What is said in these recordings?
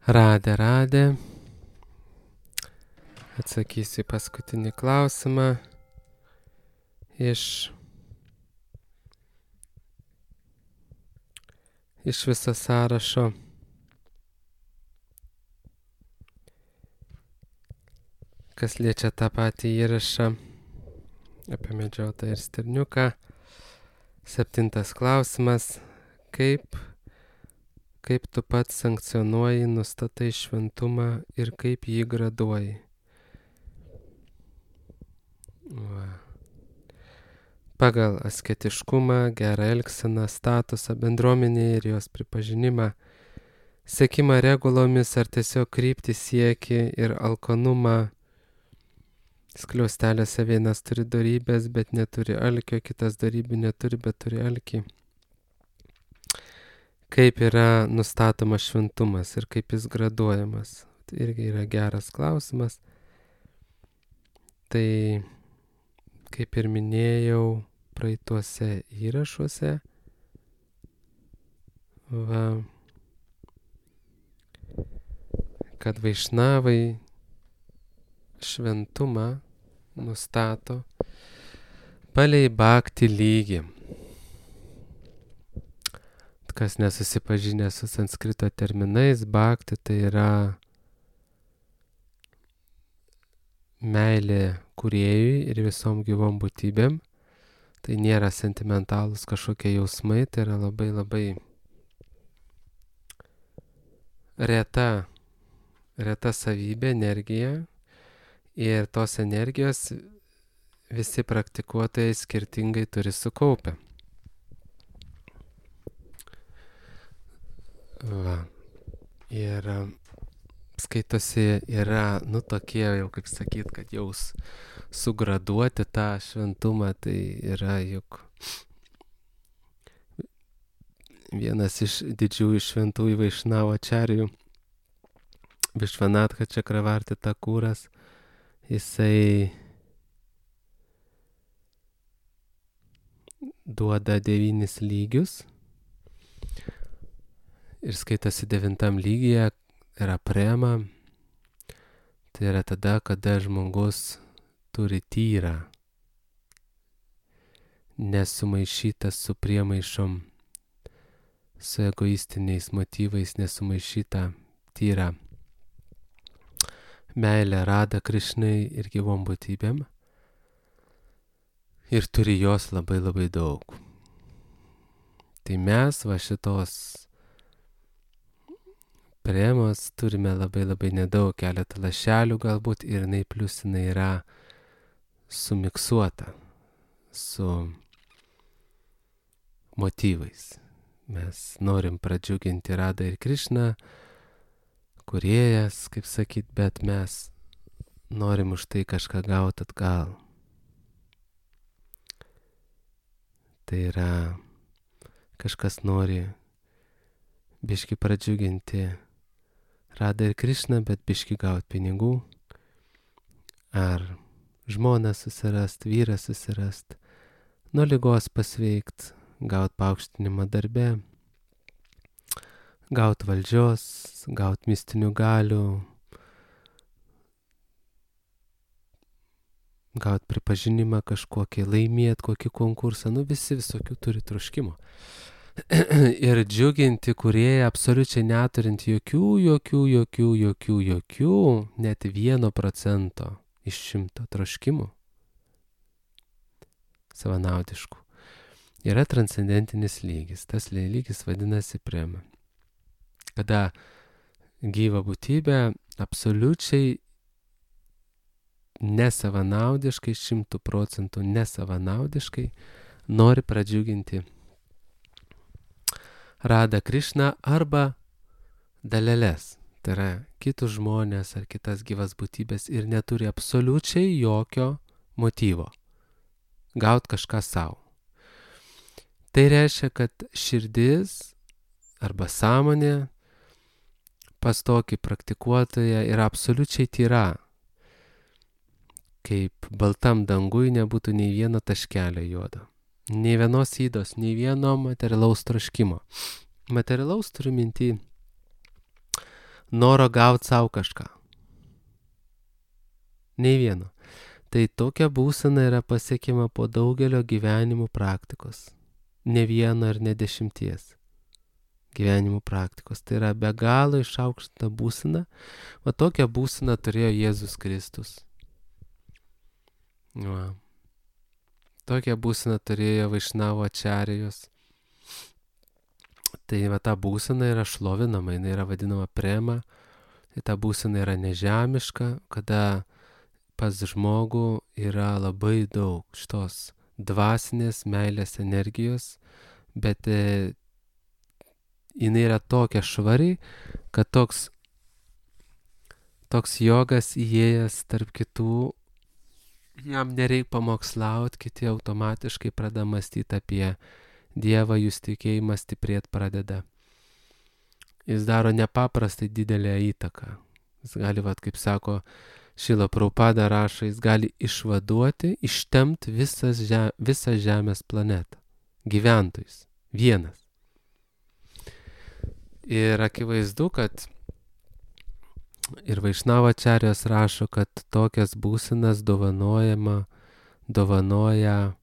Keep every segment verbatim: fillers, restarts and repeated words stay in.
Radė, radė. Atsakysiu į paskutinį klausimą iš, iš viso sąrašo. Kas liečia tą patį įrašą apie medžiotą ir stirniuką. Septintas klausimas. Kaip, kaip tu pats sankcionuoji, nustatai šventumą ir kaip jį graduoji? Va. Pagal asketiškumą, gerą elgseną, statusą bendruomenėje ir jos pripažinimą, sekimą regulomis ar tiesiog kryptį siekį ir alkanumą. Skliaustelėse vienas turi dorybės, bet neturi alkio, kitas dorybių neturi, bet turi alkį. Kaip yra nustatomas šventumas ir kaip jis graduojamas? Tai irgi yra geras klausimas. Tai, kaip ir minėjau praeituose įrašuose, va, kad vaišnavai šventumą nustato palei bhakti lygį. Kas nesusipažinę su sanskrito terminais, bhakti tai yra meilė kūrėjui ir visom gyvom būtybėm. Tai nėra sentimentalūs kažkokie jausmai, tai yra labai labai reta, reta savybė, energija. Ir tos energijos visi praktikuotojai skirtingai turi sukaupę. Va. Ir skaitosi yra, nu tokie jau, kaip sakyt, kad jau sugraduoti tą šventumą, tai yra juk vienas iš didžiųjų šventųjų Vaišnavo ačarijų, Višvanatka Čakravarti Takūras. Jisai duoda devynis lygius ir skaitosi devintam lygyje yra prema. Tai yra tada, kada žmogus turi tyrą, nesumaišytas su priemaišom, su egoistiniais motyvais, nesumaišytą tyrą meilę Radha Krišnai ir gyvom būtybėm. Ir turi jos labai labai daug. Tai mes va šitos premos turime labai labai nedaug, keletą lašelių galbūt, ir jinai plius jinai yra sumiksuota su motyvais. Mes norim pradžiuginti Radhą ir Krišną, kūrėjas, kaip sakyt, bet mes norim už tai kažką gauti atgal. Tai yra, kažkas nori biški pradžiuginti Radhą ir Krišną, bet biški gauti pinigų. Ar žmoną susirast, vyrą susirast, nuo ligos pasveikt, gauti paaukštinimą darbe, gauti valdžios, gauti mistinių galių, gauti pripažinimą kažkokį, laimėti kokį konkursą, nu visi visokių turi troškimo. Ir džiuginti kūrėją absoliučiai neturint jokių, jokių, jokių, jokių, jokių, net vieno procento iš šimto troškimų savanaudiškų. Yra transcendentinis lygis, tas lygis vadinasi prema. Kada gyva būtybė absoliučiai nesavanaudiškai, šimtų procentų nesavanaudiškai nori pradžiuginti Radhą Krišną arba daleles, tai yra kitus žmonės ar kitas gyvas būtybės ir neturi absoliučiai jokio motyvo gauti kažką savo. Tai reiškia, kad širdis arba sąmonė pas tokį praktikuotoją yra absoliučiai tyra. Kaip baltam dangui nebūtų nei vieno taškelio juodo. Nei vienos ydos, nei vieno materialaus troškimo. Materialaus turiu minty noro gauti savo kažką. Nei vieno. Tai tokia būsena yra pasiekima po daugelio gyvenimų praktikos. Ne vieno ir ne dešimties gyvenimų praktikos. Tai yra be galo išaukštinta būsena. Va tokią būseną turėjo Jėzus Kristus. Va. Tokią būseną turėjo Vaišnavo ačarijos. Tai va ta būsena yra šlovinama, jinai yra vadinama prema. Tai ta būsena yra nežemiška, kada pas žmogų yra labai daug šitos dvasinės meilės energijos, bet e, jinai yra tokia švari, kad toks, toks jogas įėjęs tarp kitų, jam nereik pamokslaut, kiti automatiškai pradeda mąstyti apie Dievą, jūs tikėjimas stiprėt pradeda. Jis daro nepaprastai didelę įtaką. Jis gali, vat, kaip sako, Šrila Prabhupada rašo, jis gali išvaduoti, ištemti visas žem, visą Žemės planetą. Gyventojus. Vienas. Ir akivaizdu, kad ir Vaišnavo ačarijos rašo, kad tokias būsenas dovanojama, dovanoja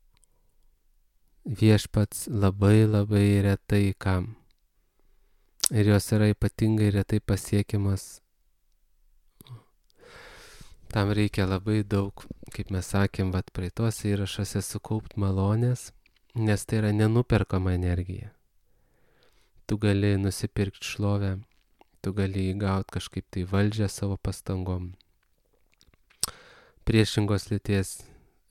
viešpats labai labai retai kam. Ir jos yra ypatingai retai pasiekiamas. Tam reikia labai daug, kaip mes sakėm, vat praeituose įrašuose sukaupt malonės, nes tai yra nenuperkama energija. Tu gali nusipirkti šlovę, tu gali įgauti kažkaip tai valdžią savo pastangom. Priešingos lyties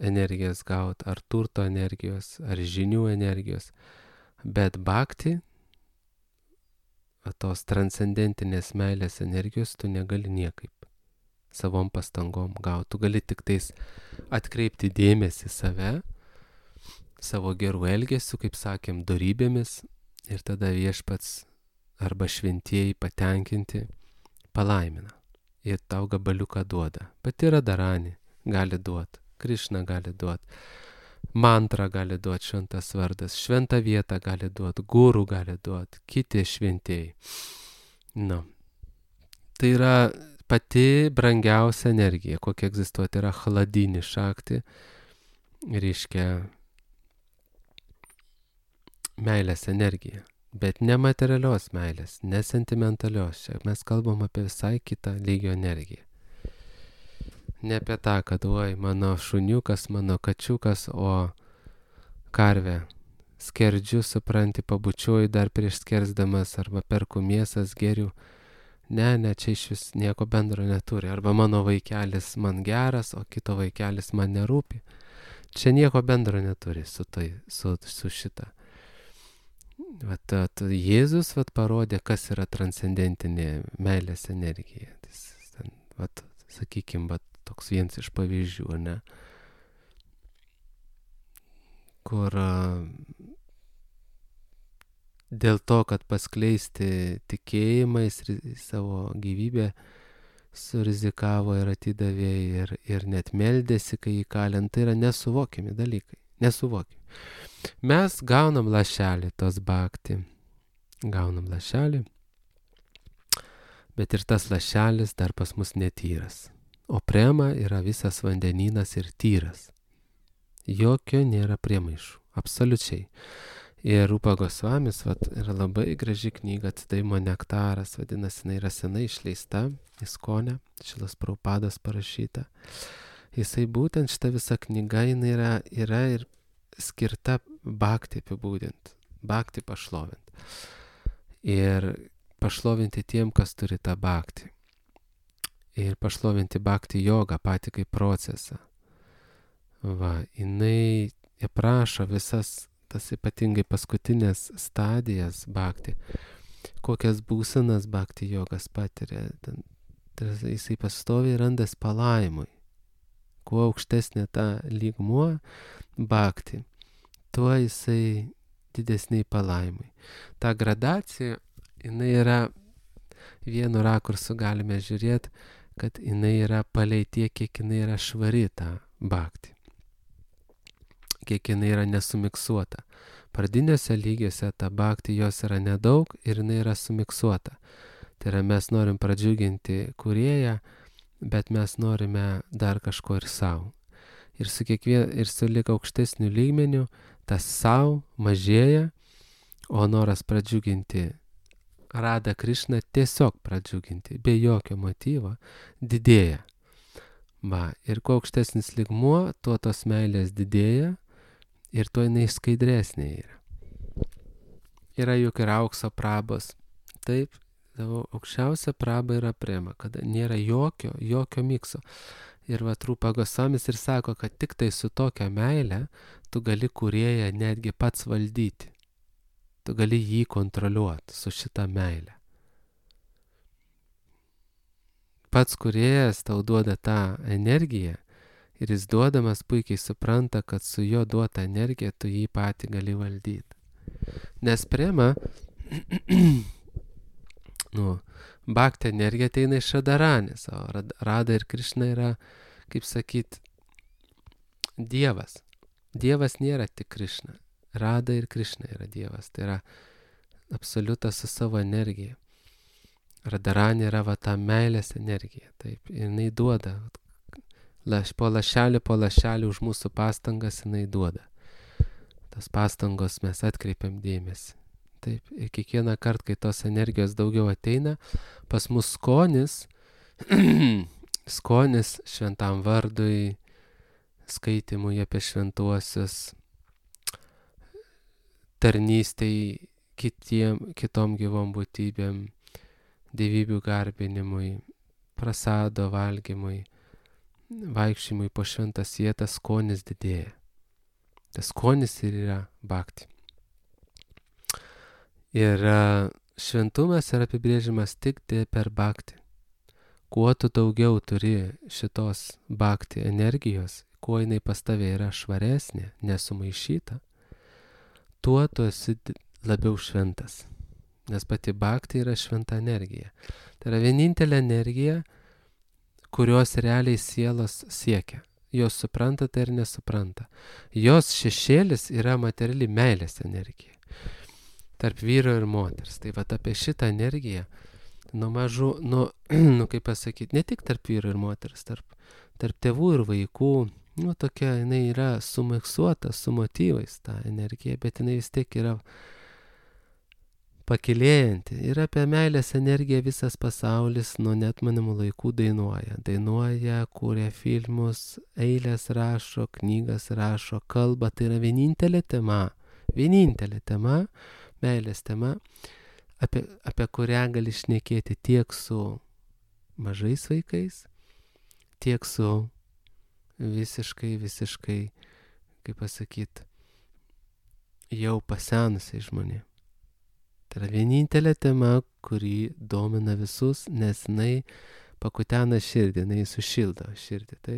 energijas gauti, ar turto energijos, ar žinių energijos. Bet bhakti, tos transcendentinės meilės energijos, tu negali niekaip savom pastangom gauti. Tu gali tik tais atkreipti dėmesį save, savo gerų elgesių, kaip sakėm, dorybėmis, ir tada viešpats arba šventieji patenkinti palaimina. Ir tau gabaliuką duoda. Pati Radharani gali duoti, Krišna gali duoti, mantrą gali duoti šventas vardas, šventą vietą gali duoti, gurų gali duoti, kiti šventieji. Na, tai yra pati brangiausia energija, kokia egzistuoti, yra chladini šakti, reiškia meilės energija, bet ne materialios meilės, ne sentimentalios. Čia mes kalbam apie visai kitą lygio energiją. Ne apie tą, kad oi, mano šuniukas, mano kačiukas, o karvę skerdžiu, supranti, pabučiuoju dar prieš skersdamas, arba perku mėsas, geriu. Ne, ne, čia iš vis nieko bendro neturi. Arba mano vaikelis man geras, o kito vaikelis man nerūpi. Čia nieko bendro neturi su, tai, su, su šita. Vat, vat, Jėzus vat, parodė, kas yra transcendentinė meilės energija. Tai, vat, sakykim, vat, toks vienas iš pavyzdžių, ne? Kur dėl to, kad paskleisti tikėjimą, jis savo gyvybę surizikavo ir atidavė ir, ir net meldėsi, kai jį kalint. Tai yra nesuvokiami dalykai. Nesuvokiami. Mes gaunam lašelį tos bhakti. Gaunam lašelį. Bet ir tas lašelis dar pas mus netyras. O prema yra visas vandenynas ir tyras. Jokio nėra priemaišų. Absoliučiai. Ir Rupa Gosvamis, vat, yra labai graži knyga, Atsidavimo nektaras, vadinasi, jinai yra senai išleista, Iskone, Šrilos Prabhupados parašyta. Jisai būtent šita visa knyga, jinai yra, yra ir skirta bhakti apibūdinti, bhakti pašlovinti. Ir pašlovinti tiem, kas turi tą bhakti. Ir pašlovinti bhakti jogą patį kaip procesą. Va, jinai aprašo visas tas ypatingai paskutinės stadijas bhakti, kokias būsenas bhakti jogas patiria. Ten, jisai pastoviai randas palaimui. Kuo aukštesnė ta lygmuo bhakti, tuo jisai didesniai palaimui. Ta gradacija, jinai yra, vienu rakursu galime žiūrėti, kad jinai yra palei tiek, kiek jinai yra švari ta bhakti. Kiek jinai yra nesumiksuota. Pradiniuose lygiuose ta bhakti jos yra nedaug ir jinai yra sumiksuota. Tai yra mes norim pradžiuginti kūrėją, bet mes norime dar kažko ir savo. Ir su kiekvien, ir su lik aukštesniu lygmeniu tas savo mažėja, o noras pradžiuginti Radha Krišną, tiesiog pradžiuginti, be jokio motyvo, didėja. Va, ir kuo aukštesnis lygmuo, tuo tos meilės didėja ir tuo jinai skaidresnė yra. Yra juk ir aukso prabos. Taip, tavo aukščiausia praba yra prema, kada nėra jokio, jokio mikso. Ir va Rupa Gosamis ir sako, kad tik tai su tokia meile tu gali kūrėją netgi pats valdyti. Tu gali jį kontroliuoti su šita meile. Pats kūrėjas tau duoda tą energiją ir jis duodamas puikiai supranta, kad su jo duota energija tu jį patį gali valdyti. Nes prema, nu, bhakti energija ateina iš Radharanės, o Radha ir Krišna yra, kaip sakyt, Dievas. Dievas nėra tik Krišna. Radha ir Krišna yra Dievas. Tai yra absoliutas su savo energija. Radharanė yra va ta meilės energija. Taip, ir jinai duoda. Laš, po lašelį, po lašelį už mūsų pastangas jinai duoda. Tas pastangos mes atkreipiam dėmesį. Taip, ir kiekvieną kartą, kai tos energijos daugiau ateina, pas mus skonis, skonis šventam vardui, skaitimui apie šventuosius, tarnystei kitiem, kitom gyvom būtybėm, dievybių garbinimui, prasado valgymui, vaikščiojimui po šventas vietas, skonis didėja. Tas skonis ir yra bhakti. Ir šventumas yra apibrėžimas tik per bhakti. Kuo tu daugiau turi šitos bhakti energijos, kuo jinai pas tave yra švaresnė, nesumaišyta, tuo tu esi labiau šventas. Nes pati bhakti yra šventa energija. Tai yra vienintelė energija, kurios realiai sielos siekia. Jos supranta tai ir nesupranta. Jos šešėlis yra materiali meilės energija. Tarp vyro ir moters. Tai va apie šitą energiją, nuo mažų, nu, nu kaip pasakyti, ne tik tarp vyro ir moters, tarp, tarp tėvų ir vaikų, nu tokia, jinai yra sumiksuota su motyvais ta energija, bet jinai vis tiek yra pakilėjanti. Ir apie meilės energiją visas pasaulis nuo neatmenamų laikų dainuoja. Dainuoja, kūrė filmus, eilės rašo, knygas rašo, kalba. Tai yra vienintelė tema, vienintelė tema, meilės tema, apie, apie kurią gali šnekėti tiek su mažais vaikais, tiek su visiškai, visiškai, kaip pasakyti, jau pasenusiai žmonėms. Tai yra vienintelė tema, kuri domina visus, nes jinai pakutena širdį, jinai sušildo širdį, tai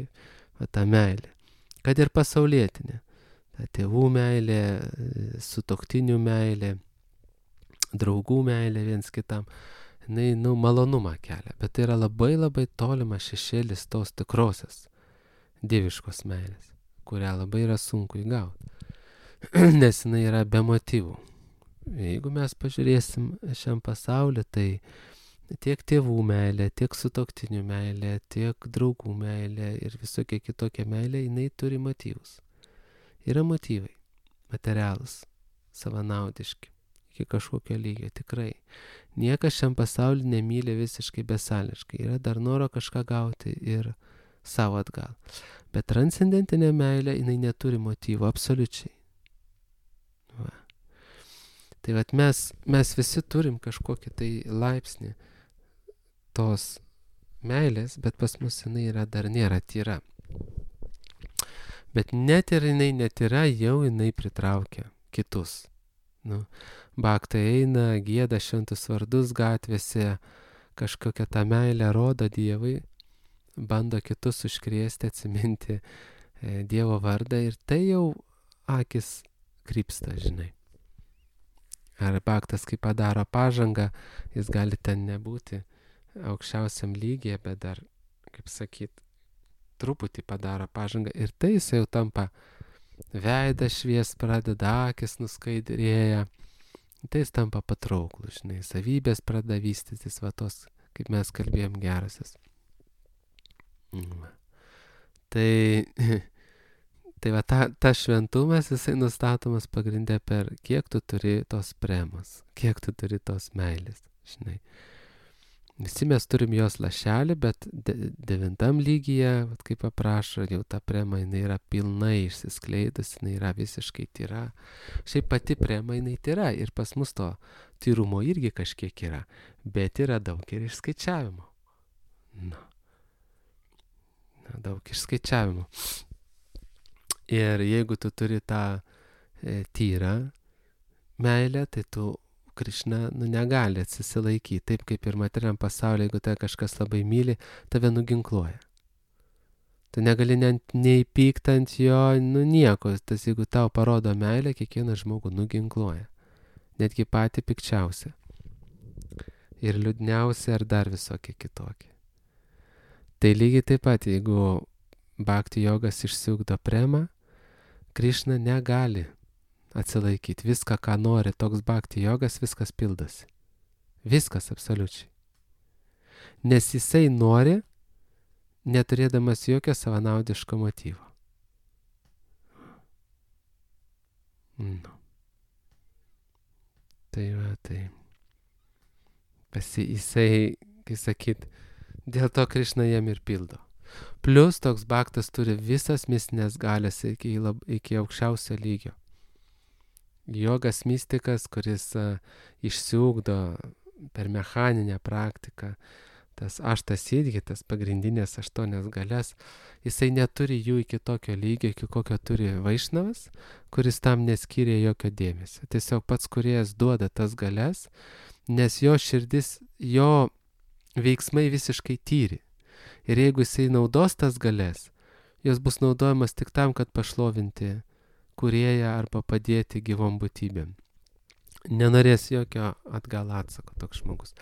va ta meilė. Kad ir pasaulietinė. Ta tėvų meilė, sutuoktinių meilė, draugų meilė viens kitam, jinai, nu, malonumą kelia. Bet tai yra labai labai tolimas šešėlis tos tikrosios dieviškos meilės, kurią labai yra sunku įgauti. Nes jinai yra be motyvų. Jeigu mes pažiūrėsim šiam pasaulį, tai tiek tėvų meilė, tiek sutuoktinių meilė, tiek draugų meilė ir visokia kitokia meilė, jinai turi motyvus. Yra motyvai, materialūs, savanaudiški, iki kažkokio lygio, tikrai. Niekas šiam pasaulį nemyli visiškai besąlygiškai. Yra dar noro kažką gauti ir savo atgal. Bet transcendentinė meilė, jinai neturi motyvų, absoliučiai. Va. Tai vat mes, mes visi turim kažkokį tai laipsnį tos meilės, bet pas mus jinai yra, dar nėra tyra. Bet net ir jinai netyra, jau jinai pritraukia kitus. Nu, bhaktai eina, gieda šventus vardus gatvėse, kažkokią tą meilę rodo Dievui, bando kitus užkrėsti, atsiminti e, Dievo vardą ir tai jau akis krypsta, žinai. Ar bhaktas, kai padaro pažangą, jis gali ten nebūti aukščiausiam lygyje, bet dar, kaip sakyt, truputį padaro pažangą ir tai jis jau tampa veidą švies, pradeda akis nuskaidrėja, tai jis tampa patrauklus, žinai, savybės pradeda vystytis, va tos, kaip mes kalbėjom, gerasias. Tai, tai va, ta, ta šventumas, jisai nustatomas pagrindė per kiek tu turi tos premos, kiek tu turi tos meilės, žinai. Visi mes turim jos lašelį, bet de, devintam lygyje, vat, kaip aprašo, jau ta prema, jinai yra pilnai išsiskleidus, jinai yra visiškai tyra. Šiaip pati prema, jinai tyra ir pas mus to tyrumo irgi kažkiek yra, bet yra daug ir išskaičiavimo. Na, Na daug išskaičiavimo. Ir jeigu tu turi tą e, tyrą meilę, tai tu Krišna nu, negali atsisilaikyti, taip kaip ir materiam pasaulyje, jeigu tai kažkas labai myli, tave nuginkluoja. Tu negali net nei pykt ant jo, nu nieko, tas jeigu tau parodo meilę, kiekvieną žmogų nuginkluoja. Netgi patį pikčiausią. Ir liūdniausią ar dar visokie kitokie. Tai lygiai taip pat, jeigu bhakti jogas išsiugdo premą, Krišna negali atsilaikyti. Viską, ką nori toks bhakti jogas, viskas pildosi. Viskas absoliučiai. Nes jisai nori, neturėdamas jokio savanaudiško motyvo. Nu. Tai va, tai. Pasi, jisai, kai sakyt, dėl to Krišna jam ir pildo. Plus toks bhaktas turi visas mistinės galės iki, iki aukščiausio lygio. Jogas mistikas, kuris uh, išsiugdo per mechaninę praktiką, tas aštas įdgi, tas pagrindinės aštuonias galias, jisai neturi jų iki tokio lygio, iki kokio turi Vaišnavas, kuris tam neskyrė jokio dėmesio. Tiesiog pats Kūrėjas duoda tas galias, nes jo širdis, jo veiksmai visiškai tyri. Ir jeigu jisai naudos tas galias, jos bus naudojamas tik tam, kad pašlovinti Kūrėją arba padėti gyvom būtybėm. Nenorės jokio atgal atsako toks žmogus.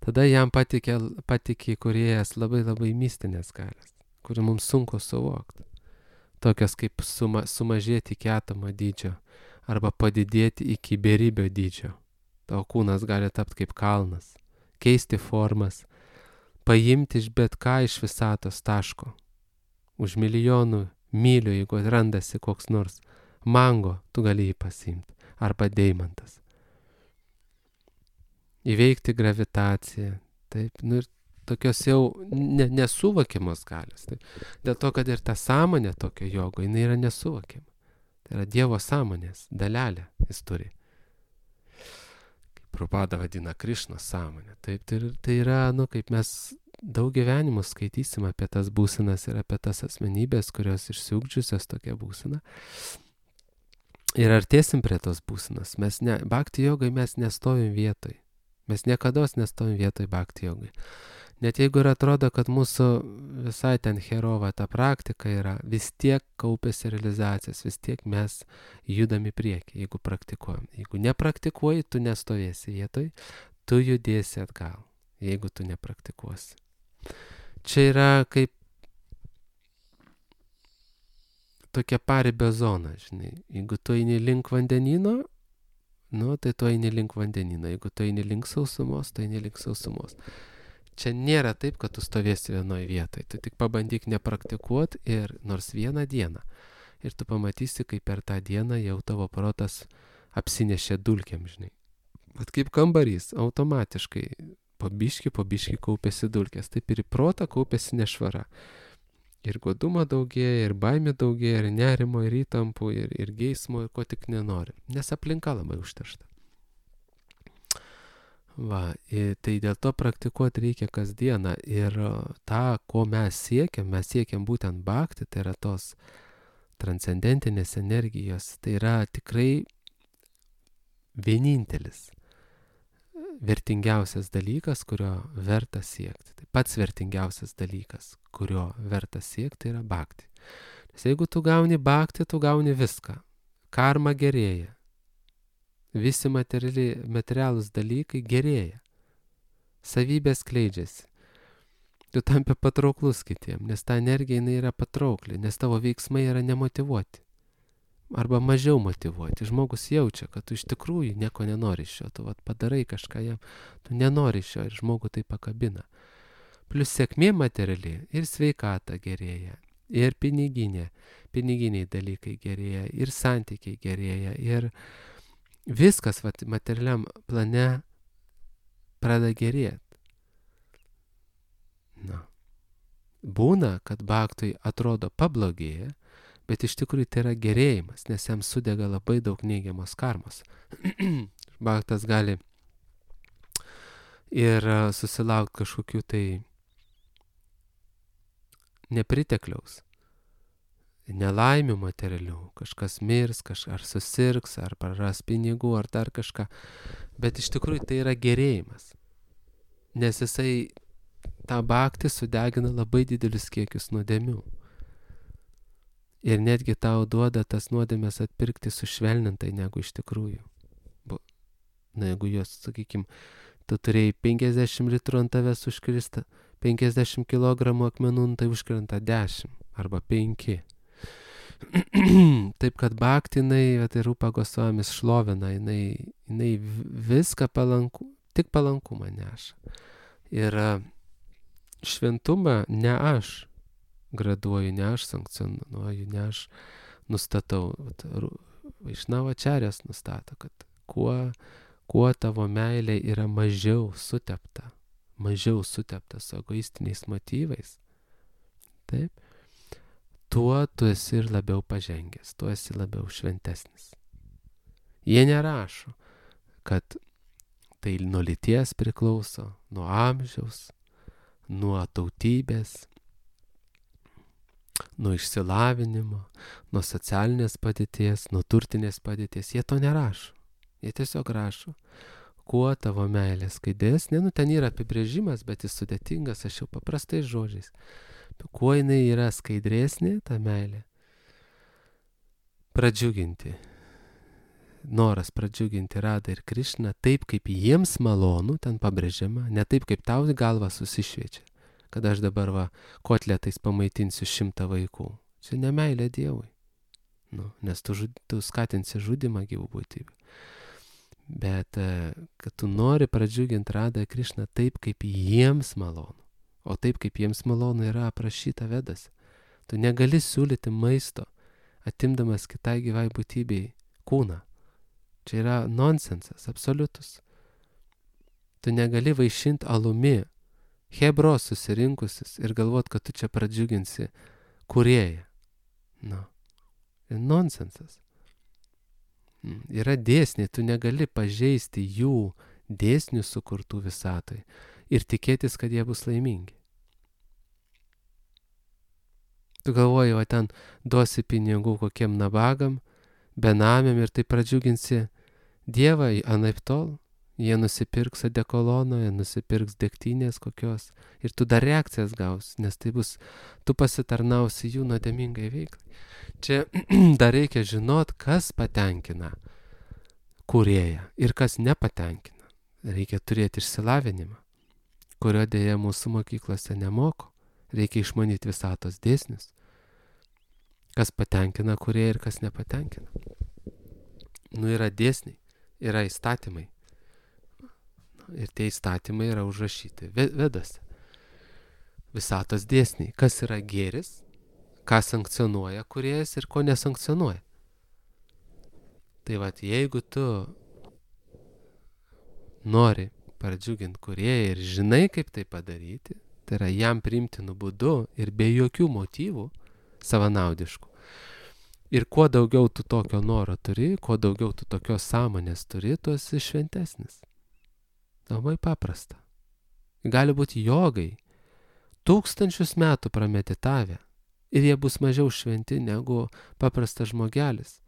Tada jam patikė, patikė Kūrėjas labai labai mistinės galias, kurių mums sunku suvokti. Tokios kaip suma, sumažėti iki atomo dydžio arba padidėti iki beribio dydžio. Tavo kūnas gali tapti kaip kalnas, keisti formas, paimti iš bet ką iš visatos taško. Už milijonų mylių, jeigu randasi koks nors mango, tu gali jį pasiimti. Arba deimantas. Įveikti gravitaciją. Taip, nu ir tokios jau ne, nesuvokiamos galios. Taip. Dėl to, kad ir ta sąmonė tokio jogo, jinai yra nesuvokiama. Tai yra Dievo sąmonės dalelė jis turi. Kaip Prabhupada vadina Krišnos sąmonę. Taip, tai, tai yra, nu, kaip mes daug gyvenimų skaitysim apie tas būsenas ir apie tas asmenybės, kurios išsiugdžiusios tokią būseną. Ir artėsim prie tos būsenos. Mes ne, bhakti jogai mes nestovim vietoj. Mes niekados nestovim vietoj bhakti jogai. Net jeigu ir atrodo, kad mūsų visai ten herova ta praktika yra, vis tiek kaupėsi realizacijas, vis tiek mes judam į priekį, jeigu praktikuojam. Jeigu nepraktikuoji, tu nestovėsi vietoj, tu judėsi atgal, jeigu tu nepraktikuosi. Čia yra kaip tokia paribio zona, žinai. Jeigu tu eini link vandenino, nu, tai tu eini link vandenino. Jeigu tu eini link sausumos, tu eini link sausumos. Čia nėra taip, kad tu stovėsi vienoje vietoje. Tu tik pabandyk nepraktikuoti ir nors vieną dieną. Ir tu pamatysi, kaip per tą dieną jau tavo protas apsinešė dulkėm, žinai. Bet kaip kambarys, automatiškai po biškį, po biškį kaupėsi dulkės. Taip ir į protą kaupėsi nešvara. Ir godumo daugėja, ir baimė daugėja, ir nerimo, ir įtampų, ir, ir geismo, ir ko tik nenori. Nes aplinka labai užteršta. Va, ir tai dėl to praktikuoti reikia kasdieną. Ir tą, ko mes siekiam, mes siekiam būtent bhakti, tai yra tos transcendentinės energijos. Tai yra tikrai vienintelis, vertingiausias dalykas, kurio verta siekti. Tai pats vertingiausias dalykas, kurio verta siekti, yra bhakti. Nes jeigu tu gauni bhakti, tu gauni viską. Karma gerėja. Visi materialūs dalykai gerėja. Savybės skleidžiasi. Tu tampi patrauklus kitiem, nes ta energija jinai yra patraukli, nes tavo veiksmai yra nemotyvuoti. arba mažiau motyvuoti. Žmogus jaučia, kad tu iš tikrųjų nieko nenori iš jo, tu vat, padarai kažką jam, tu nenori iš jo ir žmogų tai pakabina. Plius sėkmė materiali ir sveikata gerėja, ir piniginė, piniginiai dalykai gerėja, ir santykiai gerėja, ir viskas vat, materialiam plane pradeda gerėti. Na. Būna, kad baktui atrodo pablogėja, bet iš tikrųjų tai yra gerėjimas, nes jam sudega labai daug neigiamos karmos. Baktas gali ir susilaukti kažkokių tai nepritekliaus, nelaimių materialių, kažkas mirs, kažkas ar susirgs, ar praras pinigų, ar dar kažką, bet iš tikrųjų tai yra gerėjimas, nes jisai tą baktį sudegina labai didelius kiekius nuodėmių. Ir netgi tau duoda tas nuodėmės atpirkti sušvelnintai negu iš tikrųjų. Na, jeigu jos, sakykim, tu turėjai penkiasdešimt litrų ant tavęs užkrista, penkiasdešimt kilogramų akmenų, tai užkrenta dešimt arba penki. Taip, kad baktį, jinai, tai Rupa Gosvamis šlovina, jinai, jinai viską palanku, tik palankumą neša. Ir šventumą ne aš graduoju, ne aš sankcionuoju, ne aš nustatau. Vaišnavačarės nustato, kad kuo, kuo tavo meilė yra mažiau sutepta, mažiau sutepta su egoistiniais motyvais, taip, tuo tu esi ir labiau pažengęs, tuo esi labiau šventesnis. Jie nerašo, kad tai nuo lyties priklauso, nuo amžiaus, nuo tautybės, nuo išsilavinimo, nuo socialinės padėties, nuo turtinės padėties. Jie to nerašo. Jie tiesiog rašo, kuo tavo meilė skaidresnė, nu ten yra apibrėžimas, bet jis sudėtingas, aš jau paprastais žodžiais. Kuo jinai yra skaidresnė, ta meilė, pradžiuginti. Noras pradžiuginti Radą ir Krišną taip, kaip jiems malonu, ten pabrėžiama, ne taip, kaip tau galva susišviečia, kad aš dabar va kotletais pamaitinsiu šimtą vaikų. Čia ne meilė Dievui, nu, nes tu, žud, tu skatinsi žudimą gyvų būtybių. Bet kad tu nori pradžiuginti Radą ir Krišną taip, kaip jiems malonu, o taip, kaip jiems malonu yra aprašyta Vedose. Tu negali siūlyti maisto, atimdamas kitai gyvai būtybei kūną. Čia yra nonsensas, absoliutus. Tu negali vaišinti alumi Hebros susirinkusis ir galvot, kad tu čia pradžiuginsi kūrėją. Nu, ir nonsensas. Yra dėsniai, tu negali pažeisti jų dėsnių sukurtų visatoj ir tikėtis, kad jie bus laimingi. Tu galvoji, o ten duosi pinigų kokiem nabagam, benamiam ir tai pradžiuginsi Dievą, anaiptol, jie nusipirks odekolono, jie nusipirks degtinės kokios ir tu dar reakcijas gaus, nes tai bus, tu pasitarnausi jų nuodėmingai veiklai. Čia dar reikia žinot, kas patenkina kūrėją ir kas nepatenkina. Reikia turėti išsilavinimą, kurio dėja mūsų mokyklose nemoko. Reikia išmanyti visatos dėsnius, kas patenkina kūrėją ir kas nepatenkina. Nu, yra dėsniai, yra įstatymai. Ir tie įstatymai yra užrašyti Vedose. Visatos dėsniai, kas yra gėris, ką sankcionuoja kūrėjas ir ko nesankcionuoja. Tai vat, jeigu tu nori pradžiuginti kūrėją ir žinai, kaip tai padaryti, tai yra jam priimtinu būdu ir be jokių motyvų savanaudiškų. Ir kuo daugiau tu tokio noro turi, kuo daugiau tu tokios sąmonės turi, tu esi šventesnis. Labai paprasta. Gali būti jogai, tūkstančius metų prameditavę ir jie bus mažiau šventi negu paprastas žmogelis,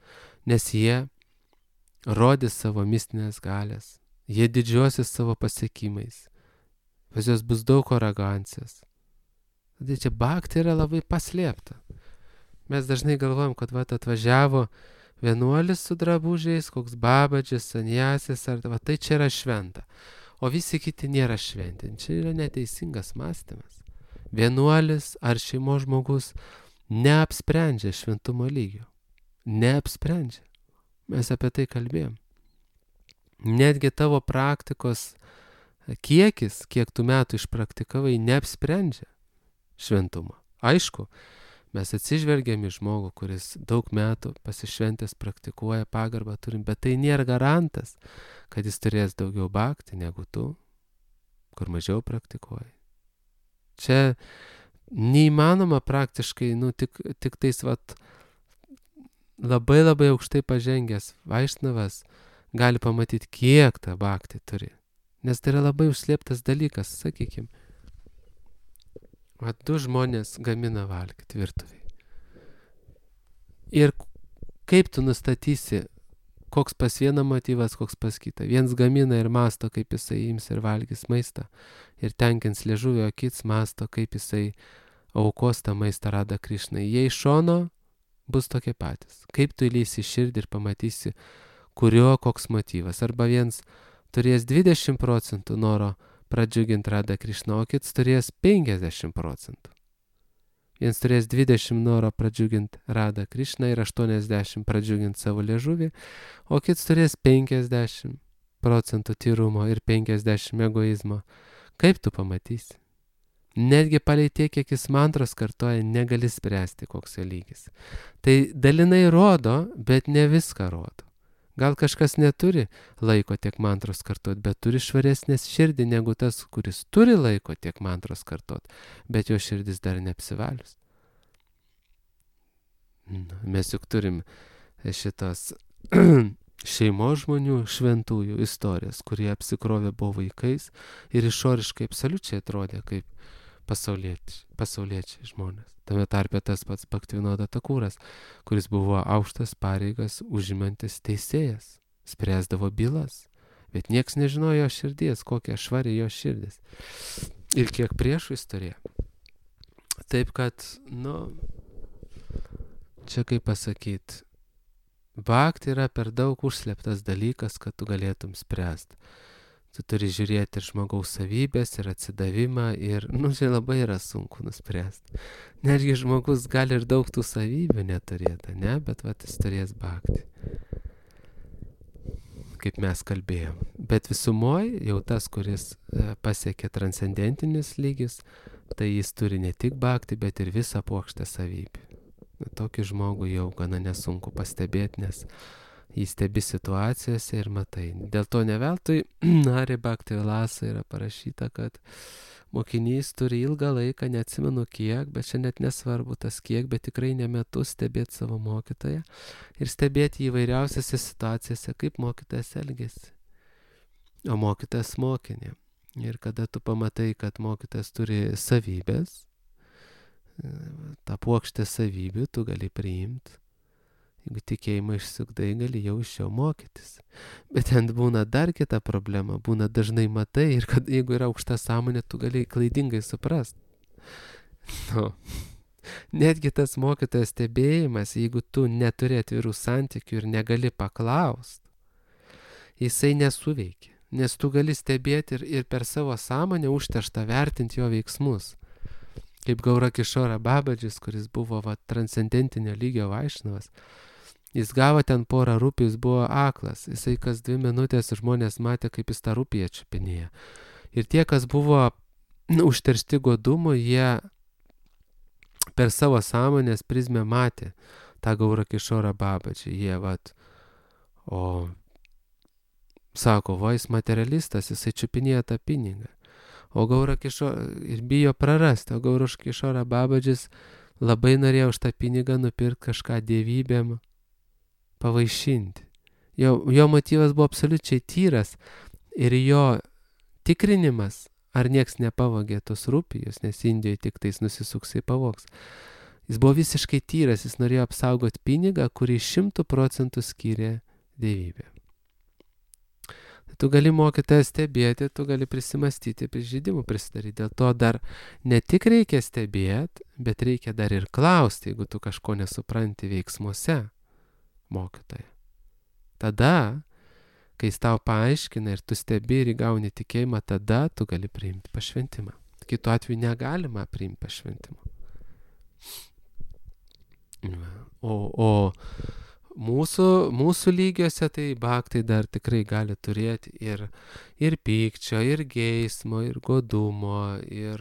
nes jie rodys savo mistinės galės, jie didžiuosis savo pasiekimais, pas juos bus daug arogancijos. Tai čia bhakti yra labai paslėpta. Mes dažnai galvojam, kad vat atvažiavo vienuolis su drabužiais, koks babadžis, sanjasis, ar va, tai čia yra šventa. O visi kiti nėra šventi. Čia yra neteisingas mąstymas. Vienuolis ar šeimos žmogus neapsprendžia šventumo lygio. neapsprendžia. Mes apie tai kalbėjom. Netgi tavo praktikos kiekis, kiek tu metų išpraktikavai, neapsprendžia šventumą. Aišku, mes atsižvelgiam į žmogų, kuris daug metų pasišventęs praktikuoja, pagarbą turim, bet tai nėra garantas, kad jis turės daugiau bhakti negu tu, kur mažiau praktikuoji. Čia neįmanoma praktiškai, nu, tik, tik tais vat, labai labai aukštai pažengęs vaišnavas gali pamatyti, kiek tą bhakti turi. Nes tai yra labai užslėptas dalykas, sakykim. Vat du žmonės gamina valgyti virtuviai. Ir kaip tu nustatysi, koks pas vieną motyvas, koks pas kitą. Viens gamina ir masto, kaip jisai ims ir valgys maistą. Ir tenkins liežuvio, kits masto, kaip jisai aukos tą maistą Radha Krišnai. Jie iš šono bus tokie patys. Kaip tu įlysi širdį ir pamatysi, kurio koks motyvas. Arba viens turės dvidešimt procentų noro pradžiuginti Radha Krišną, o kits turės penkiasdešimt procentų. Viens turės dvidešimt noro pradžiuginti Radha Krišną ir aštuoniasdešimt pradžiuginti savo liežuvį, o kits turės penkiasdešimt procentų tyrumo ir penkiasdešimt egoizmo. Kaip tu pamatysi? Netgi palei tiek, kiek jis mantros kartoja, negali spręsti, koks jo lygis. Tai dalinai rodo, bet ne viską rodo. Gal kažkas neturi laiko tiek mantros kartot, bet turi švaresnės širdį negu tas, kuris turi laiko tiek mantros kartot, bet jo širdis dar neapsivalius. Mes juk turim šitos šeimos žmonių šventųjų istorijas, kurie apsikrovė buvo vaikais ir išoriškai absoliučiai atrodė kaip pasauliečiai, pasauliečiai žmonės. Tame tarpe tas pats Bhaktivinoda Thakuras, kuris buvo aukštas pareigas užimantis teisėjas, spręsdavo bylas, bet nieks nežinojo jo širdies, kokia švari jo širdis ir kiek priešų jis turėjo. Taip kad, nu, čia kaip pasakyti, bhakti yra per daug užslėptas dalykas, kad tu galėtum spręsti. Tu turi žiūrėti ir žmogaus savybės, ir atsidavimą, ir, nu, čia labai yra sunku nuspręsti. Netgi žmogus gali ir daug tų savybių neturėti, ne, bet vat jis turės bhakti. Kaip mes kalbėjom. Bet visumoje jau tas, kuris pasiekė transcendentinis lygis, tai jis turi ne tik bhakti, bet ir visą puokštę savybių. Tokį žmogų jau gana nesunku pastebėti, nes jis stebi situacijose ir matai. Dėl to ne veltui Hari Bhakti Vilasa yra parašyta, kad mokinys turi ilgą laiką, neatsimenu kiek, bet čia net nesvarbu tas kiek, bet tikrai ne metus stebėti savo mokytoją ir stebėti įvairiausiose situacijose, kaip mokytojas elgėsi. O mokytojas mokinė. Ir kada tu pamatai, kad mokytojas turi savybės, tą puokštę savybių tu gali priimti. Jeigu tikėjimą išsiugdai, gali jau iš jo mokytis. Bet ten būna dar kita problema, būna dažnai matai ir kad jeigu yra aukšta sąmonė, tu gali klaidingai suprast. Nu, netgi tas mokytojas stebėjimas, jeigu tu neturi atvirų santykių ir negali paklaust, jisai nesuveikia. Nes tu gali stebėti ir, ir per savo sąmonę užterštą vertinti jo veiksmus. Kaip Gaura Kishora Babadžis, kuris buvo va, transcendentinio lygio vaišnavas. Jis gavo ten porą rūpį, jis buvo aklas. Jisai kas dvi minutės žmonės matė, kaip jis tą rūpį atčiupinėja. Ir tie, kas buvo nu, užteršti godumo, jie per savo sąmonės prizmę matė tą Gaura Kishora Babadžį. Jie, vat, o sako, va, jis materialistas, jisai čiupinėja tą pinigą. O Gaura Kishora ir bijo prarasti, o Gaura Kishora Babadžis labai norėjo už tą pinigą nupirkti kažką dievybėm, pavaišinti. Jo, jo motyvas buvo absoliučiai tyras ir jo tikrinimas, ar nieks nepavogė tos rūpijos, nes Indijoje tik tais nusisuksai pavogs. Jis buvo visiškai tyras, jis norėjo apsaugoti pinigą, kurį šimtų procentų skyrė dievybė. Tu gali mokytoją stebėti, tu gali prisimastyti, prižydimų prisidaryti. Dėl to dar ne tik reikia stebėti, bet reikia dar ir klausti, jeigu tu kažko nesupranti veiksmuose mokytoją. Tada, kai jis tau paaiškina ir tu stebi ir įgauni tikėjimą, tada tu gali priimti pašventimą. Kitu atveju negalima priimti pašventimą. O, o, Mūsų, mūsų lygiuose tai bhakti dar tikrai gali turėti ir, ir pykčio, ir geismo, ir godumo, ir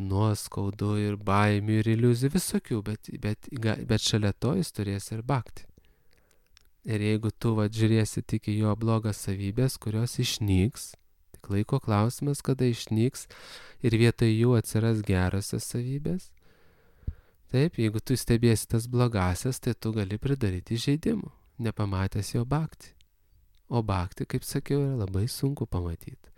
nuoskaudų, ir baimių, ir iliuzijų, visokių, bet, bet, bet šalia to jis turės ir bhakti. Ir jeigu tu va, žiūrėsi tik į jo blogas savybės, kurios išnyks, tik laiko klausimas, kada išnyks ir vietoj jų atsiras gerosios savybės, taip, jeigu tu stebėsi tas blogasias, tai tu gali pridaryti žaidimų, nepamatęs jo bhakti. O bhakti, kaip sakiau, yra labai sunku pamatyti.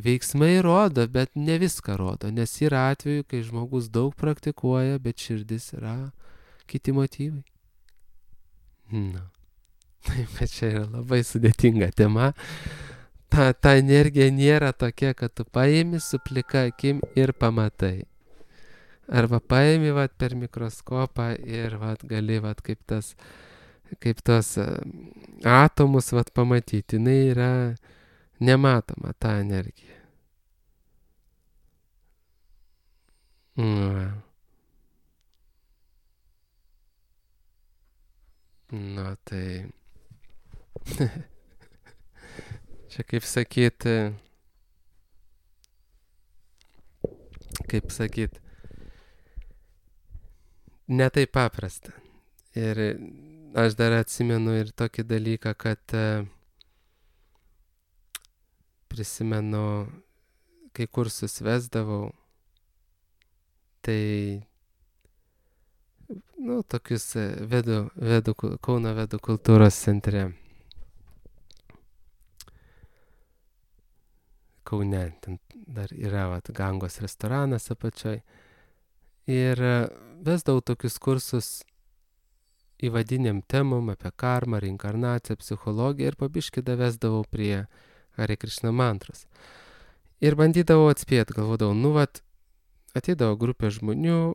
Veiksmai rodo, bet ne viską rodo, nes yra atveju, kai žmogus daug praktikuoja, bet širdis yra kiti motyvai. Na, taip, bet čia yra labai sudėtinga tema. Ta, ta energija nėra tokia, kad tu paimi su plika akim ir pamatai. Arba paimi vat, per mikroskopą ir vat, gali vat, kaip, tas, kaip tos atomus vat, pamatyti. Jis yra nematoma ta energija. Na, Na tai. Čia kaip sakyti. Kaip sakyti. Ne taip paprasta. Ir aš dar atsimenu ir tokį dalyką, kad prisimenu, kai kursus vesdavau, tai, nu, tokius vedų, vedų, Kauno vedų kultūros centre. Kaune, ten dar yra vat, Gangos restoranas apačioj. Ir vesdavau tokius kursus įvadiniam temom apie karmą, reinkarnaciją, psichologiją ir pabiškį vesdavau prie Hare Krishna mantros. Ir bandydavau atspėti, galvodavau, nu vat, ateidavo grupė žmonių,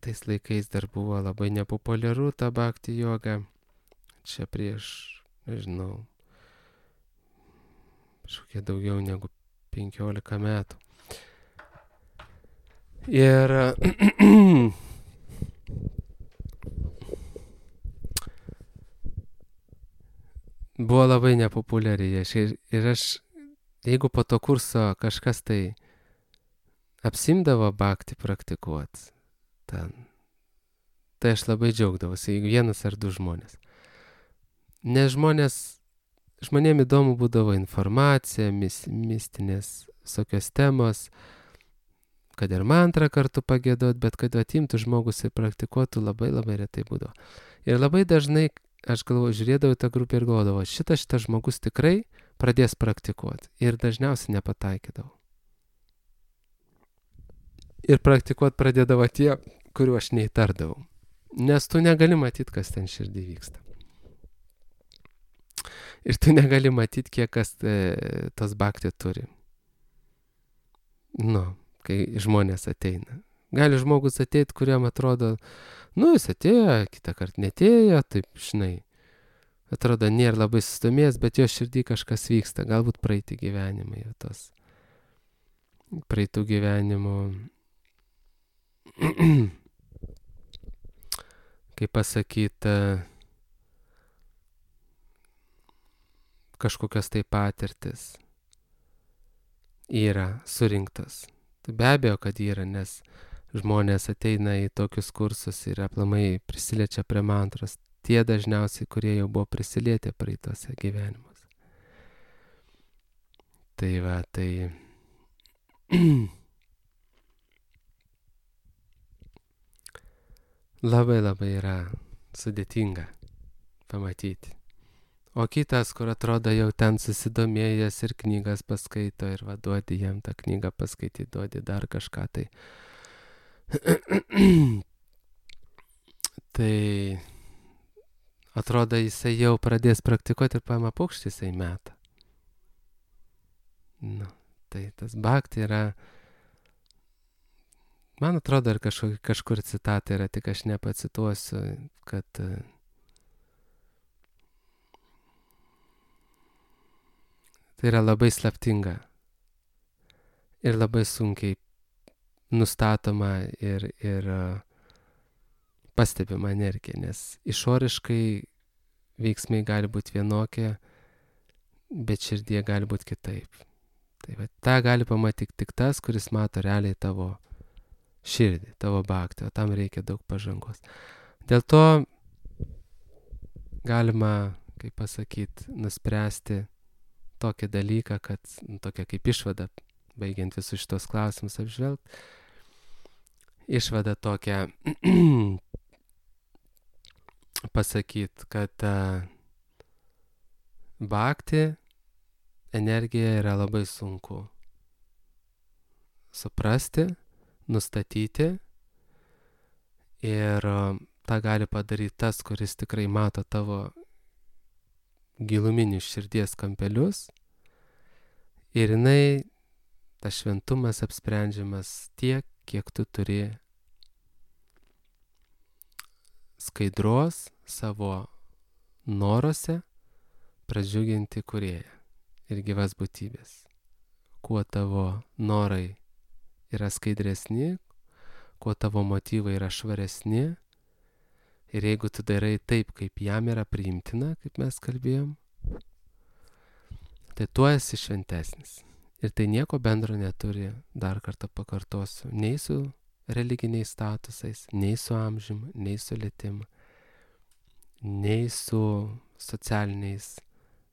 tais laikais dar buvo labai nepopuliaru ta bhakti joga, čia prieš, nežinau, kažkokie daugiau negu penkiolika metų. Ir buvo labai nepopuliari. Ir aš, jeigu po to kurso kažkas tai apsimdavo bhakti praktikuot, ten, tai aš labai džiaugdavausi, jeigu vienas ar du žmonės. Nes žmonės, žmonėm įdomu būdavo informacija, mis, mistinės visokios temos, kad ir mantrą kartu pagėdot, bet kad atimtų žmogus ir praktikuotų, labai labai retai būdavo. Ir labai dažnai, aš galvoju, žiūrėdavau tą grupę ir galvodavau, šitas šitas žmogus tikrai pradės praktikuoti. Ir dažniausiai nepataikydavau. Ir praktikuoti pradėdavo tie, kuriuo aš neįtardavau. Nes tu negali matyti, kas ten širdį vyksta. Ir tu negali matyti, kiek kas e, tos bhakti turi. Nu, kai žmonės ateina. Gali žmogus ateiti, kuriam atrodo, nu, jis atėjo, kitą kartą netėjo, taip, žinai, atrodo, nėra labai sustomėjęs, bet jo širdį kažkas vyksta, galbūt praeiti gyvenimai, tos praeitų gyvenimų, kaip pasakyti, kažkokios tai patirtis yra surinktos. Be abejo, kad yra, nes žmonės ateina į tokius kursus ir aplamai prisiliečia prie mantros. Tie dažniausiai, kurie jau buvo prisilietę praeitose gyvenimuose. Tai va, tai labai labai yra sudėtinga pamatyti. O kitas, kur atrodo jau ten susidomėjęs ir knygas paskaito ir vaduodi jam tą knygą paskaityti, duodi dar kažką tai. Tai atrodo, jisai jau pradės praktikuoti ir paima paukštį, jisai meta. Nu, tai tas bhakti yra, man atrodo, ir kažkur, kažkur citata yra, tik aš nepacituosiu, kad tai yra labai slaptinga ir labai sunkiai nustatoma ir, ir pastebima energija, nes išoriškai veiksmai gali būti vienokie, bet širdie gali būti kitaip. Tai va, tą gali pamatyti tik tas, kuris mato realiai tavo širdį, tavo bhaktį, o tam reikia daug pažangos. Dėl to galima, kaip pasakyti, nuspręsti tokį dalyką, kad tokia kaip išvada, baigiant visus šitos klausimus apžvelgti, išvada tokia pasakyti, kad uh, bhakti energija yra labai sunku suprasti, nustatyti ir uh, tą gali padaryti tas, kuris tikrai mato tavo giluminius širdies kampelius ir jinai, tas šventumas apsprendžiamas tiek, kiek tu turi skaidros savo noruose pradžiuginti kūrėją ir gyvas būtybės. Kuo tavo norai yra skaidresni, kuo tavo motyvai yra švaresni ir jeigu tu darai taip, kaip jam yra priimtina, kaip mes kalbėjom, tai tuo esi šventesnis. Ir tai nieko bendro neturi, dar kartą pakartosiu, nei su religiniais statusais, nei su amžium, nei su lytim, nei su socialiniais,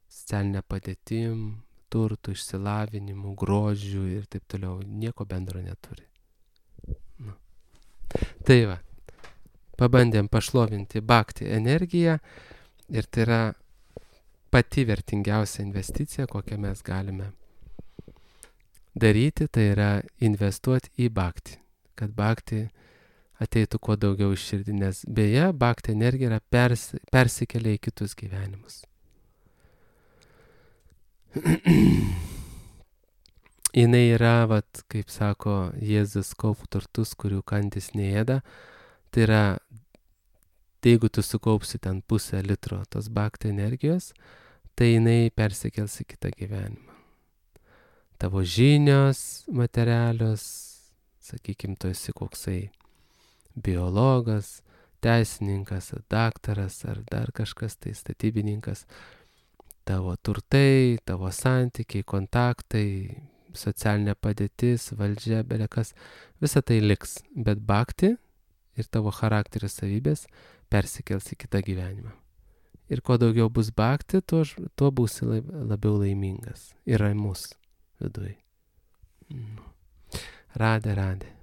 socialinė padėtim, turtų, išsilavinimu, grožiu ir taip toliau. Nieko bendro neturi. Nu. Tai va, pabandėm pašlovinti bhakti energiją ir tai yra pati vertingiausia investicija, kokią mes galime daryti, tai yra investuoti į bhakti, kad bhakti ateitų kuo daugiau iš širdį, nes beje, bhakti energija yra pers, persikelia į kitus gyvenimus. Jinai yra, vat, kaip sako Jėzus, kaupk turtus, kurių kandys neėda, tai yra, tai jeigu tu sukaupsi ten pusę litro tos bhakti energijos, tai jinai persikels į kitą gyvenimą. Tavo žinios materialios, sakykime, tu esi koksai biologas, teisininkas, daktaras ar dar kažkas, tai statybininkas, tavo turtai, tavo santykiai, kontaktai, socialinė padėtis, valdžia, belekas, visa tai liks, bet bhakti ir tavo charakterio savybės persikels į kitą gyvenimą. Ir kuo daugiau bus bhakti, tuo, tuo būsi labiau laimingas ir ramus viduje. Radhe, radhe.